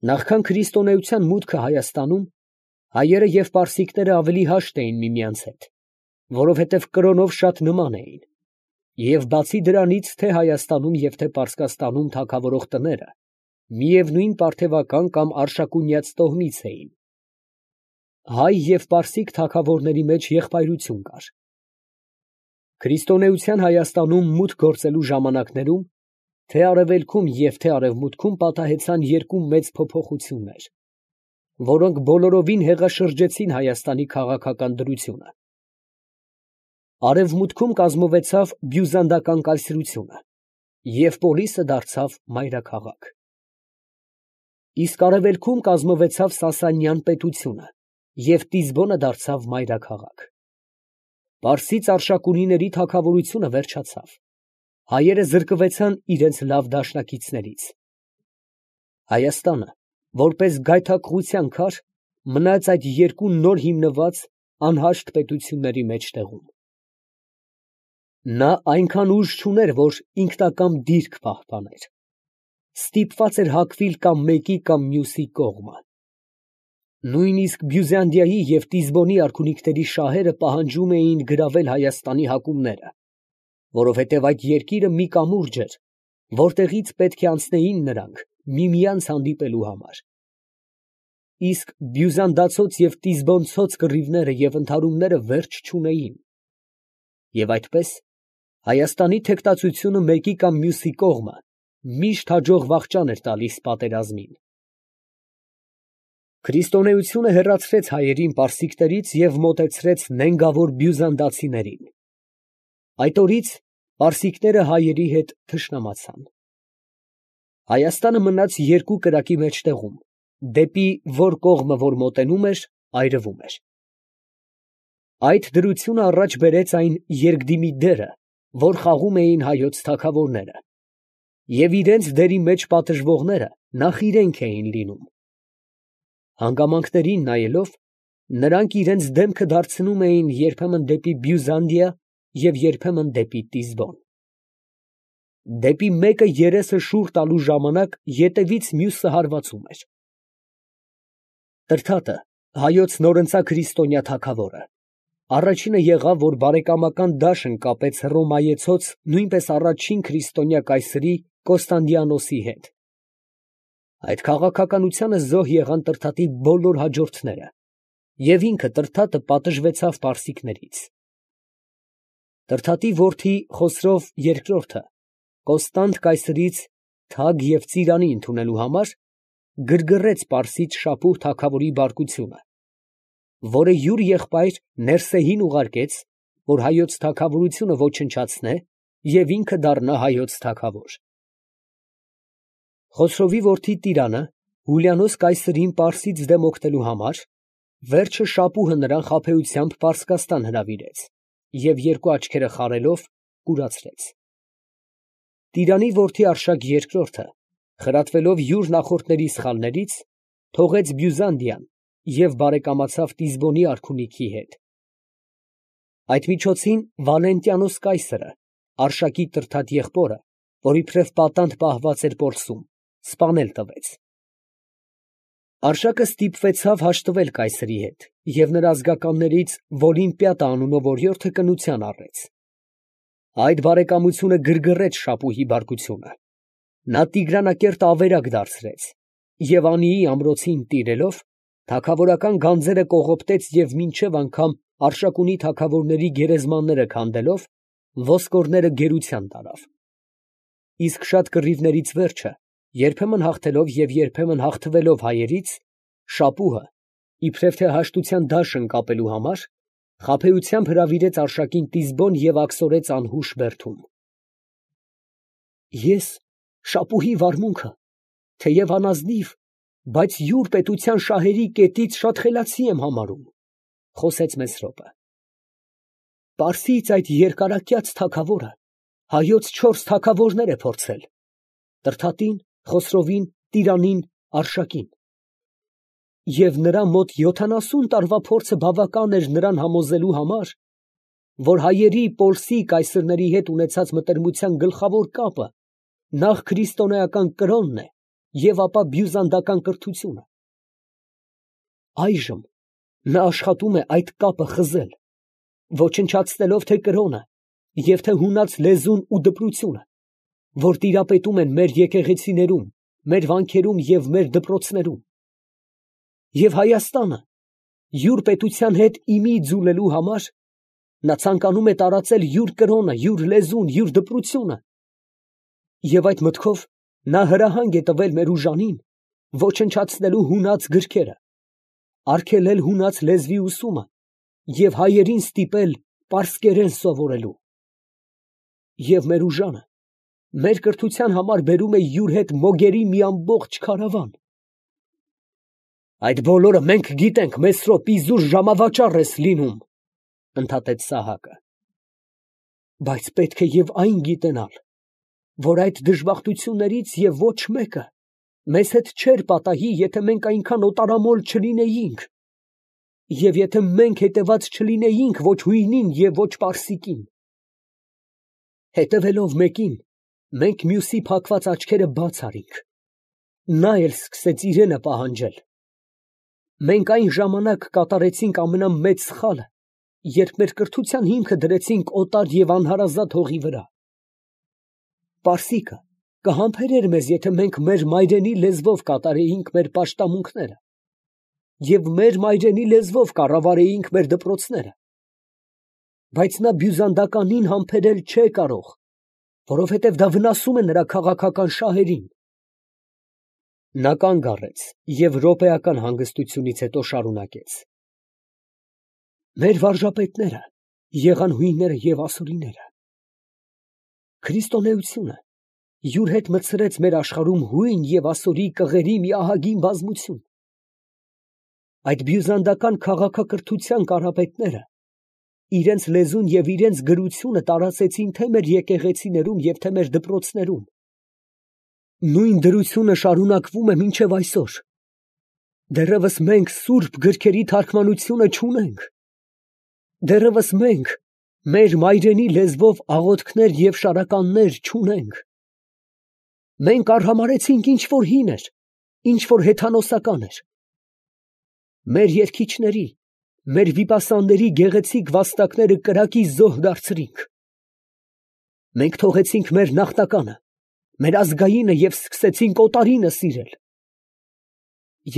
Նախքան քրիստոնեության մուտքը Հայաստանում, հայերը և պարսիկները ավելի հաշտ էին միմյանց հետ, որովհետև կրոնով շատ նման էին, և բացի դրանից, թե Հայաստանում և թե Պարսկաստանում թագավորող տները միևնույն պարթևական կամ արշակունյաց տոհմից էին։ Հայ և պարսիկ թագավորների մեջ եղբայրություն կար։ Քրիստոնեության Հայաստանում մուտք գործելու ժամանակներում թե արևելքում և թե արևմուտքում պատահեցան երկու մեծ փոփոխություններ, որոնք բոլորովին հեղաշրջեցին Հայաստանի քաղաքական դրությունը։ Արևմուտքում կազմվեցավ բյուզանդական կայսրությունը, և Պոլիսը դարձավ մայրաքաղաք։ Իսկ արևելքում կազմվեցավ Սասանյան պետությունը, և Տիզբոնը դարձավ մայրաքաղաք։ Պարսից արշակունիների թագավորությունը վերջացավ, հայերը զրկվեցան իրենց լավ դաշնակիցներից։ Հայաստանը, որպես գայթակղության քար, մնաց այդ երկու նոր հիմնված անհաշտ պետությունների մեջտեղում։ Նա այնքան ուժ չուներ, որ ինքնակամ դիրք պահպաներ, ստիպված էր հակվել կամ մեկի կամ մյուսի կողմը։ Նույնիսկ Բյուզանդիայի և Տիզբոնի արքունիքների շահերը պահանջում էին գրավել Հայաստանի հակումները, որովհետև այդ երկիրը մի կամուրջ էր, որտեղից պետք է անցնեին նրանք միմյանց հանդիպելու համար։ Իսկ բյուզանդացոց և տիզբոնցոց կռիվները և ընդհարումները վերջ չունեին, և այդպես Հայաստանի թեկտածությունը մեկի կամ մյուսի կողմը միշտ հաջող վախճան էր տալիս պատերազմին։ Քրիստոնեությունը հեռացրեց հայերին պարսիկներից և մոտեցրեց նենգավոր բյուզանդացիներին։ Այդ օրից պարսիկները հայերի հետ թշնամացան։ Հայաստանը մնաց երկու կրակի մեջտեղում, դեպի որ կողմը որ մոտենում էր, այրվում էր։ Այդ դրությունը առաջ բերեց այն երկդիմի դերը, որ խաղում էին հայոց թագավորները, և իրենց դերի մեջ պատժվողները նախ իրենք էին լինում։ Հանգամանքներին նայելով, նրանք իրենց դեմքը դարձնում էին երբեմն դեպի Բյուզանդիա և երբեմն դեպի Տիզբոն։ Դեպի մեկը երեսը շուռ տալու ժամանակ ետևից մյուսը հարվածում էր։ Տրդատը, հայոց նորընծա քրիստոնյա թագավորը, առաջինը եղավ, որ բարեկամական դաշն կապեց հռոմայեցոց նույնպես առաջին քրիստոնյա կայսրի Կոստանդիանոսի հետ։ Այդ քաղաքականությանը զոհ եղան Տրդատի բոլոր հաջորդները, և ինքը Տրդատը պատժվեցավ պարսիկներից։ Տրդատի որդի Խոսրով II Կոստանդ կայսրից թագ և ծիրանի ընդունելու համար գրգռեց պարսից շապուհ թագավորի բարկությունը, որը յուր եղբայր Ներսեին ուղարկեց, որ հայոց թագավորությունը ոչնչացնե և ինքը դառնա հայոց թագավոր։ Խոսրովի որդի Տիրանը Հուլիանոս կայսրին պարսից դեմ օգնելու համար վերջը շապուհը նրան խաբեությամբ Պարսկաստան հրավիրեց և երկու աչքերը խարելով կուրացրեց։ Տիրանի որդի Արշակ II խրատվելով յուր նախորդների սխալներից, թողեց Բյուզանդիան և բարեկամացավ Տիզբոնի արքունիքի հետ։ Այդ միջոցին Վալենտիանոս կայսրը, Արշակի Տրդատ եղբորը, որ իբրև պատանդ պահված էր Պորսում, սպանել տվեց։ Արշակը ստիպվեցավ հաշտվել կայսրի հետ և նրա ազգականներից Վոլիմպիատա անունով օրիորդը կնության առեց։ Այդ բարեկամությունը գրգռեց շապուհի բարկությունը։ Նա Տիգրանակերտ ավերակ դարձրեց և Անիի ամրոցին տիրելով, թագավորական գանձերը կողոպտեց և մինչև անգամ Արշակունի թագավորների գերեզմանները քանդելով, ոսկորները գերության տարավ։ Իսկ շատ կռիվներից վերջը, երբեմն հաղթելով և երբեմն հաղթվելով հայերից, շապուհը, իբրև թե հաշտության դաշն կապելու համար, խաբեությամբ հրավիրեց Արշակին Տիզբոն և աքսորեց անհուշ բերդում։ Ես շապուհի վարմունքը, թեև անազնիվ, բայց յուր պետության շահերի կետից շատ խելացի եմ համարում, խոսեց Մեսրոպը։ Պարսից այդ երկարակյաց թագավորը հայոց 4 թագավորներ է փորձել. Տրդատին, Խոսրովին, Տիրանին, Արշակին, և նրա մոտ 70 տարվա փորձը բավական էր նրան համոզելու համար, որ հայերի Պոլսի կայսրների հետ ունեցած մտերմության գլխավոր կապը նախ քրիստոնեական կրոնն է և ապա բյուզանդական կրթությունը։ Այժմ նա աշխատում է այդ կապը խզել, ոչնչացնելով թե կրոնը և թե հունած լեզուն ու դպրությունը, որ տիրապետում են մեր եկեղեցիներում, մեր վանքերում և մեր դպրոցներում։ Եվ Հայաստանը յուր պետության հետ իմի ձուլելու համար նա ցանկանում է տարածել յուր կրոնը, յուր լեզուն, յուր դպրությունը։ Եվ այդ մտքով նա հրահանգ է տվել մեր ուժանին ոչնչացնելու հունած գրքերը, արգելել հունած լեզվի ուսումը և հայերին ստիպել պարսկերեն սովորելու։ Եվ մեր ուժանը մեր կրթության համար բերում է յուր հետ մոգերի մի ամբողջ քարավան։ Այդ բոլորը մենք գիտենք, Մեսրոպ, իզուր ժամավաճառ ես լինում, ընդհատեց Սահակը։ Բայց պետք է և այն գիտենալ, որ այդ դժբախտություններից և ոչ մեկը մեզ հետ չէր պատահի, եթե մենք այնքան օտարամոլ չլինեինք, և եթե մենք հետևած չլինեինք ոչ հույնին և ոչ պարսիկին։ Հետևելով մեկին, մենք մյուսի փակված աչքերը բաց արինք, նա էլ սկսեց իրենը պահանջել։ Մենք այն ժամանակ կատարեցինք ամենամեծ սխալը, երբ մեր կրթության հիմքը դրեցինք օտար և անհարազատ հողի վրա։ Պարսիկը կհամբերեր մեզ, եթե մենք մեր մայրենի լեզվով կատարեինք մեր պաշտամունքները և մեր մայրենի լեզվով կառավարեինք մեր դպրոցները, բայց նա բյուզանդականին համբերել չէ կարող, որովհետև դա վնասում է նրա քաղաքական շահերին։ Նա կանգ առեց և րոպեական հանգստությունից հետո շարունակեց. Մեր վարժապետները եղան հույնները և ասորիները։ Քրիստոնեությունը յուր հետ մտցրեց մեր աշխարհում հույն և ասորի կղերի մի ահագին բազմություն։ Այդ բյուզանդական քաղաքակրթության կարապետները իրենց լեզուն և իրենց գրությունը տարածեցին թե մեր եկեղեցիներում և թե մեր դպրոցներում։ Նույն դրությունը շարունակվում է մինչև այսօր։ Դեռևս մենք սուրբ գրքերի թարգմանությունը չունենք։ Դեռևս մենք մեր մայրենի լեզվով աղոթքներ և շարականներ չունենք։ Մենք արհամարհեցինք ինչ որ հին էր, ինչ որ հեթանոսական էր։ Մեր երգիչների, մեր վիպասանների գեղեցիկ վաստակները կրակի զոհ դարձրինք։ Մենք թողեցինք մեր նախնականը, մեր ազգայինը և սկսեցինք օտարինը սիրել։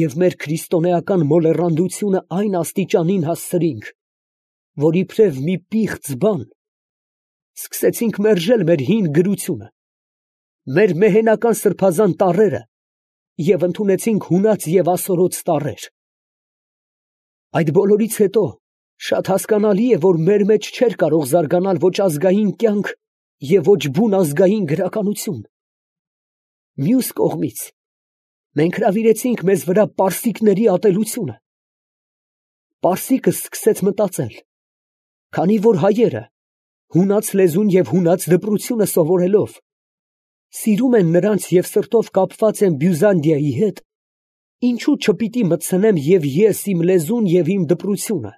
Եվ մեր քրիստոնեական մոլեռանդությունը այն աստիճանին հասցրինք, որ իբրև մի պիղծ բան սկսեցինք մերժել մեր հին գրությունը, մեր մեհենական սրբազան տառերը և ընդունեցինք հունած և ասորոց տառեր։ Այդ բոլորից հետո շատ հասկանալի է, որ մեր մեջ չէր կարող զարգանալ ոչ ազգային կյանք և ոչ բուն ազգային գրականություն։ Մյուս կողմից, մենք հրավիրեցինք մեզ վրա պարսիկների ատելությունը։ Պարսիկը սկսեց մտածել, քանի որ հայերը հունած լեզուն և հունած դպրությունը սովորելով սիրում են նրանց և սրտով կապված են Բյուզանդիայի հետ, ինչու չպիտի մտցնեմ և ես իմ լեզուն և իմ դպրությունը,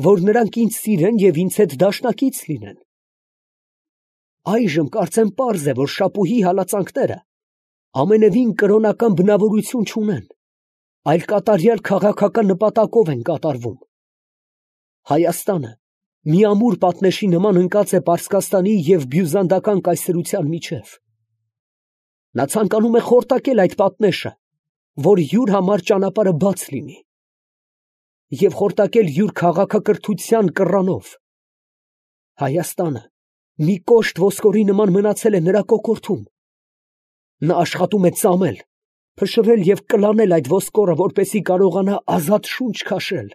որ նրանք ինձ սիրեն և ինձ հետ դաշնակից լինեն։ Այժմ կարծեմ պարզ է, որ շապուհի հալածանքները ամենևին կրոնական բնավորություն չունեն, այլ կատարյալ քաղաքական նպատակով են կատարվում։ Հայաստանը մի ամուր պատնեշի նման ընկած է Պարսկաստանի և բյուզանդական կայսրության միջև։ Նա ցանկանում է խորտակել այդ պատնեշը, որ յուր համար ճանապարհը բաց լինի, և խորտակել յուր քաղաքակրթության կռանով։ Հայաստանը մի կոշտ ոսկորի նման մնացել է նրա կոկորդում։ Նա աշխատում է ծամել, փշրել և կլանել այդ ոսկորը, որպեսզի կարողանա ազատ շունչ քաշել։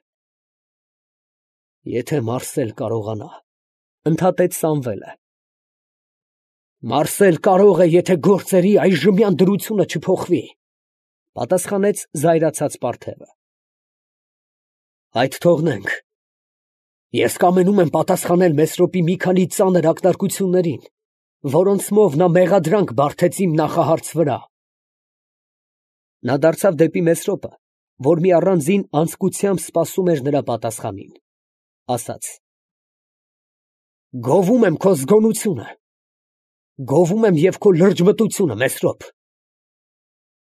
Եթե մարսել կարողանա, ընդհատեց Սամվելը։ Մարսել կարող է, եթե գործերի այժմյան դրությունը չփոխվի, պատասխանեց զայրացած պարթևը։ Այդ թողնենք։ Ես կամենում եմ պատասխանել Մեսրոպի մի քանի ծանր ակնարկություններին, որոնցմով նա մեղադրանք բարդեց իմ նախահարց վրա։ Նա դարձավ դեպի Մեսրոպը, որ մի առանձին անձկությամբ սպասում էր նրա պատասխանին, ասաց. Գովում եմ քո զգոնությունը, գովում եմ և քո լրջմտությունը, Մեսրոպ։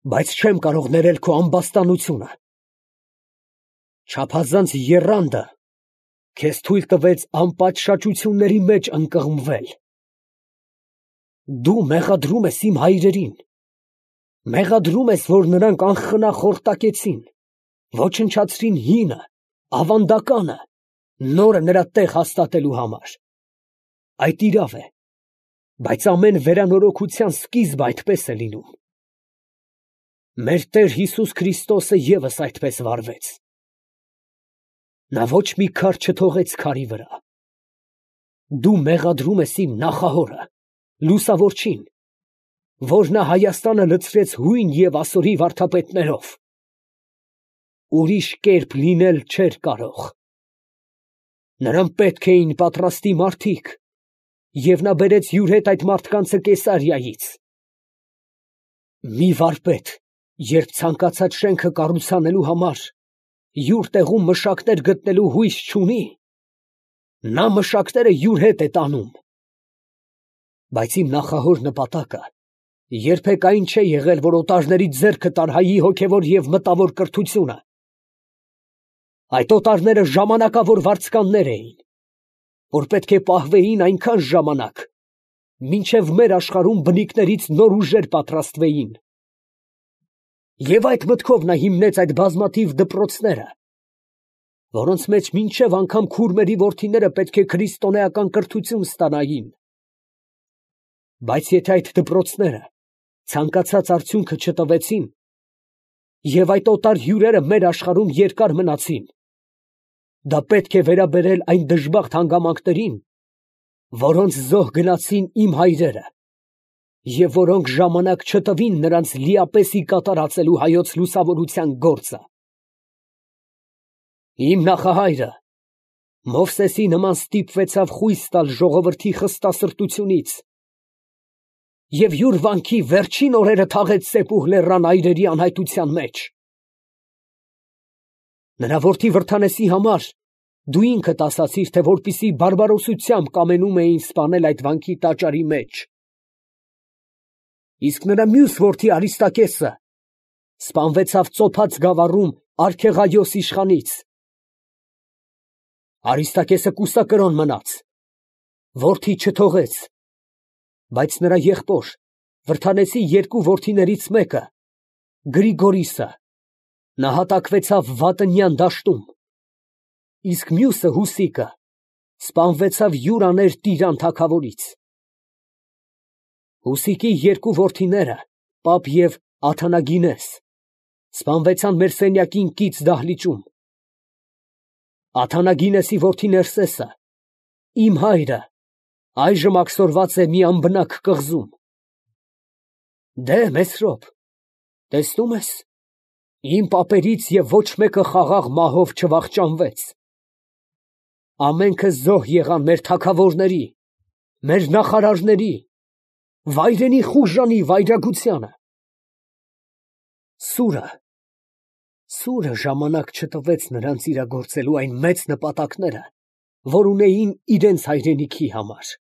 բայց չեմ կարող ներել քո ամբաստանությունը։ Չափազանց եռանդը քեզ թույլ տվեց անպատշաճությունների մեջ ընկղմվել։ Դու մեղադրում ես իմ հայրերին, մեղադրում ես, որ նրանք անխնա խորտակեցին, ոչնչացրին հինը, ավանդականը, նորը նրա տեղ հաստատելու համար։ Այդ իրավ է, բայց ամեն վերանորոգության սկիզբը այդպես է լինում։ Մեր Տեր Հիսուս Քրիստոսը ևս այդպես վարվեց։ Նա ոչ մի քար չթողեց քարի վրա։ Դու մեղադրում ես իմ նախահորը, Լուսավորչին, որ նա Հայաստանը լցրեց հույն և ասորի վարդապետներով։ Ուրիշ կերպ լինել չէր կարող։ Նրան պետք էին պատրաստի մարդիկ, և նա բերեց յուր հետ այդ մարդկանցը Կեսարիայից։ Մի վարպետ, երբ ցանկացած շենքը կառուցանելու համար յուր տեղում մշակներ գտնելու հույս չունի, նա մշակները յուր հետ է տանում։ Բայց իմ նախահոր նպատակը երբեք այն չէ եղել, որ օտարների ձեռքը տար հայի հոգևոր և մտավոր կրթությունը։ Այդ օտարները ժամանակավոր վարձկաններ էին, որ պետք է պահվեին այնքան ժամանակ, մինչև մեր աշխարհում բնիկներից նոր ուժեր պատրաստվեին։ Եվ այդ մտքով նա հիմնեց այդ բազմաթիվ դպրոցները, որոնց մեջ մինչև անգամ քուրմերի որդիները պետք է քրիստոնեական կրթություն ստանային։ Բայց եթե այդ դպրոցները ցանկացած արդյունքը չտվեցին, և այդ օտար հյուրերը մեր աշխարհում երկար մնացին, դա պետք է վերաբերել այն դժբախտ հանգամանքներին, որոնց զոհ գնացին իմ հայրերը, և որոնք ժամանակ չտվին նրանց լիապեսի կատարածելու հայոց լուսավորության գործը։ Իմ նախահայրը Մովսեսի նման ստիպվեցավ խույս տալ ժողովրդի խստասրտությունից և յուր վանքի վերջին օրերը թաղեց Սեպուհ լեռան այրերի անհայտության մեջ։ Նրա որդի Վրդանեսի համար դու ինքդ ասացիր, թե որպեսզի բարբարոսությամբ կամենում էին սպանել այդ վանքի տաճարի մեջ։ Իսկ նրա մյուս որդի Արիստակեսը սպանվեցավ Ծոփաց գավառում Արքեղայոս իշխանից։ Արիստակեսը կուսակրոն մնաց, որդի չթողեց, բայց նրա եղբոր Վրդանեսի երկու որդիներից մեկը, Գրիգորիսը, նահատակվեցավ Վատնյան դաշտում, իսկ մյուսը Հուսիկը սպանվեցավ յուր աներ Տիրան թագավորից։ Հուսիկի երկու որդիները, Պապ և Աթանագինես, սպանվեցան մեր սենյակին կից դահլիճում։ Աթանագինեսի որդի Ներսեսը, իմ հայրը, այժմ աքսորված է մի անբնակ կղզում։ Դե, Մեսրոպ, տեսնում ես, իմ պապերից և ոչ մեկը խաղաղ մահով չվախճանվեց։ Ամենքը զոհ եղան մեր թագավորների, մեր նախարարների, վայրենի խուժանի վայրագությանը։ Սուրը ժամանակ չտվեց նրանց իրագործելու այն մեծ նպատակները, որ ունեին իրենց հայրենիքի համար։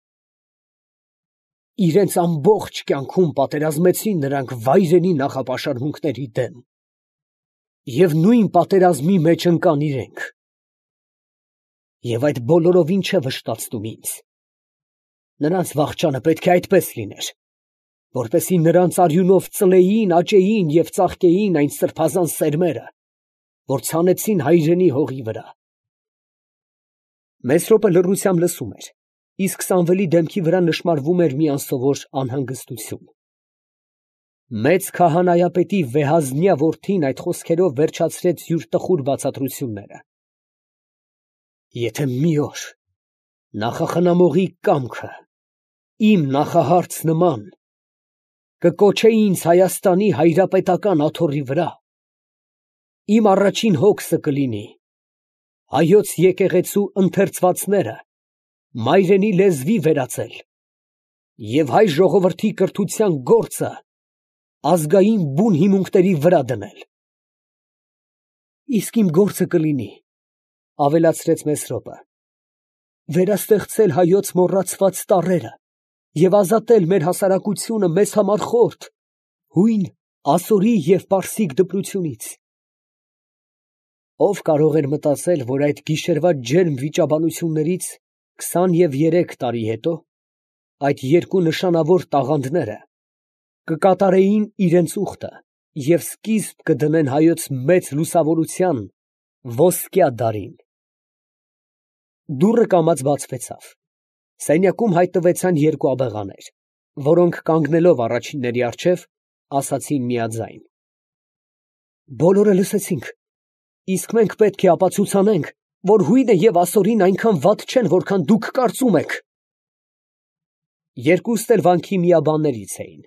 Իրենց ամբողջ կյանքում պատերազմեցին նրանք վայրենի նախապաշարմունքների դեմ, և նույն պատերազմի մեջ ընկան իրենք։ Եվ այդ բոլորովին չէ վշտացնում ինձ։ Նրանց վախճանը պետք է այդպես լիներ, որպեսզի նրանց արյունով ծլեին, աճեին և ծաղկեին այն սրբազան սերմերը, որ ցանեցին հայրենի հողի վրա։ Մեսրոպը լռությամբ լսում էր, իսկ Սամվելի դեմքի վրա նշմարվում էր մի անսովոր անհանգստություն։ Մեծ քահանայապետի վեհազնյա որդին այդ խոսքերով վերջացրեց յուր տխուր բացատրությունները։ Եթե մի օր նախախնամողի կամքը իմ նախահարց նման կկոչեի ինձ Հայաստանի հայրապետական աթոռի վրա, իմ առաջին հոգսը կլինի հայոց եկեղեցու ընթերցվածները մայրենի լեզվի վերածել և հայ ժողովրդի կրթության գործը ազգային բուն հիմունքների վրա դնել։ Իսկ իմ գործը կլինի, ավելացրեց Մեսրոպը, վերաստեղծել հայոց մոռացված տառերը և ազատել մեր հասարակությունը մեզ համար խորթ, հույն ասորի և պարսիկ դպրությունից։ Ո՞վ կարող էր մտածել, որ այդ գիշերվա ջերմ վիճաբանություններից 23 տարի հետո այդ երկու նշանավոր տաղանդները կկատարեին իրանց ուխտը և սկիզբ կդնեն հայոց մեծ լուսավորության ոսկյա դարին։ Դուռը կամաց բացվեցավ։ Սենյակում հայտնվեցան երկու աբեղաներ, որոնք կանգնելով առաջինների առջև, ասացին միաձայն. «Բոլորը լսեցինք, իսկ մենք պետք է ապացուցանենք, որ հույնը և ասորին այնքան վատ չեն, որքան դուք կարծում եք»։ Երկուստ էլ վանքի միաբաններից էին.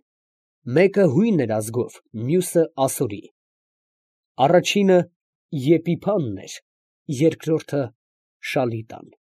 մեկը հույն էր ազգով, մյուսը ասորի։ Առաջինը Եփիփանն էր, երկրորդը Շալիտան։